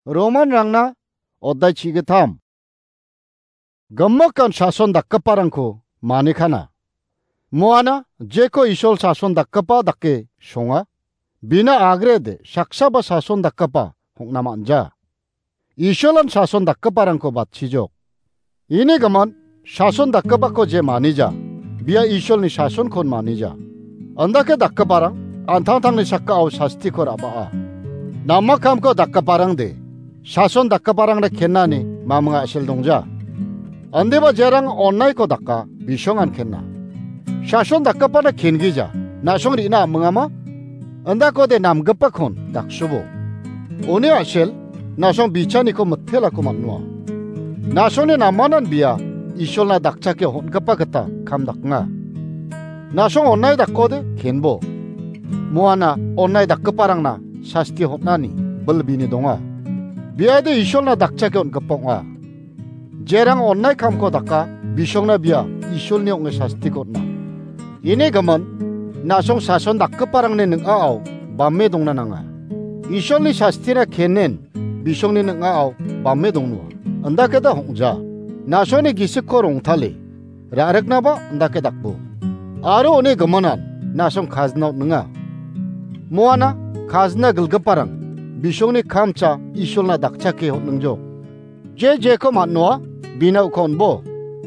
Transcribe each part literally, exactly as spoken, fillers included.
Romanrangna oddai chigittam. Gimikan sason dakgiparangko manikana. Muana jeko Isol sason dakgipa dake songa, bina agrede saksaba sason dakgipa hongna manja. Isolan sason dakgiparangko batchijok. Ini gimin sason dakgipako je manija, bia Isolni sasonkon manija. Andake dakgiparang antangtangni sakao sastiko ra·baa. Nama kamko dakgiparangde, sason dakgiparangna kenani maming a·sel dongja. Andeba jerang onnaiko daka bisongan kenna. Sason dakgipana kengija, na·song rina amingama? Andakode namgipakon daksubo. Uni a·sel, na·song bichaniko mitelako man·noa. Na·songni namanan bia Isolna dakchake hon·gipa gita kam daknga. Na·song onnai dakode kenbo. Muana onnai dakgiparangna sasti hon·ani bilbini donga. Biade Isolna dakchake on·gipa ong·a. Jerang onnai kamko daka, bisongna bia Isolni ong·e sastiko on·a. Ini gimin, na·song sason dakgiparangni ning·ao bame dongna nanga. Isolni sastina kenen bisongni ning·ao bame dongnoa. Indakeda hong·ja. Na·songni gisikko rongtale, ra·riknaba indake dakbo. Aro uni giminan na·song kajna on·ninga. Muana kajna gilgiparang bisongni kamcha Isolna dakchake on·ningjok. Je jeko man·noa, bina uko on·bo.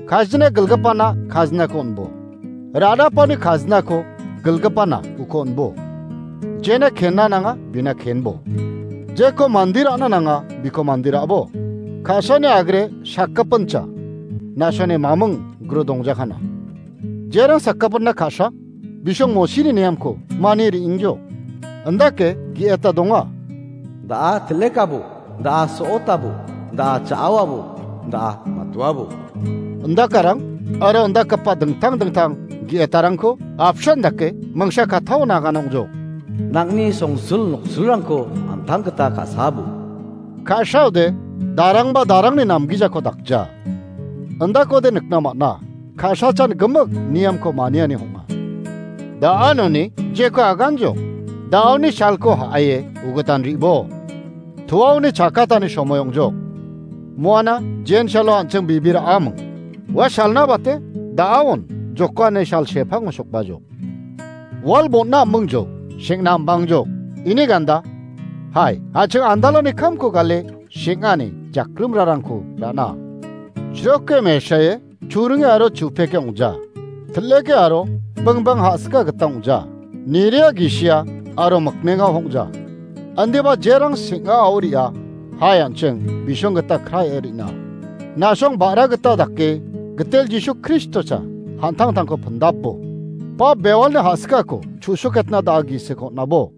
Kajna gilgipana kajnako on·bo. Ra·napani kajnako gilgipana uko on·bo. Jena kenna nanga, bina kenbo. Jeko mande ra·na nanga, biko mande ra·bo. Ka·sani agre sakgipincha, na·songni maming gro dongjakana. Jerang sakgipinna ka·sa, bisong Mosini niamko mani re·ingjo. Indake ge·eta donga. Da·a til·lekabo, da·a so·otabo, da·a cha·awabo, da·a matuabo. Indakarang aro indagipa dingtang dingtang ge·etarangko apsan dake mingsa kattao nagana ong·jo. Nang·ni songsul noksulrangko an·tang gita ka·sabo. Ka·saode darangba darangni namgijako dakja. Indakode nikna man·a, ka·sachan gimik niamko maniani hong·a. Da·anoni jeko aganjo, da·oni salko ha·aie ugitan re·bo. Tuaoni chakatani somoi ong·jok. Muana jen salo an·ching bibira aming. Ua salna bate da·aon jokani sal sepango sokbajok. Wal bon·na aming jok, seng·na ambang jok. Ini ganda. Hai, an·ching andalani kamko gale seng·ani jakrimrarangko ra·na. Chroke mesae churinge aro chupeke ong·ja. Til·eke aro bingbang ha·sika gita ong·ja. Niria gisia aro mikmenga ong·ja. Andeba jerang seng·a aoria, hai an·ching bisong gita kraie re·na. Na·song ba·ra gita dake gitel Jisu Kristosa han·tangtangko pindapbo. Ba bewalni ha·sikako chu·soketna da·a gisik on·abo.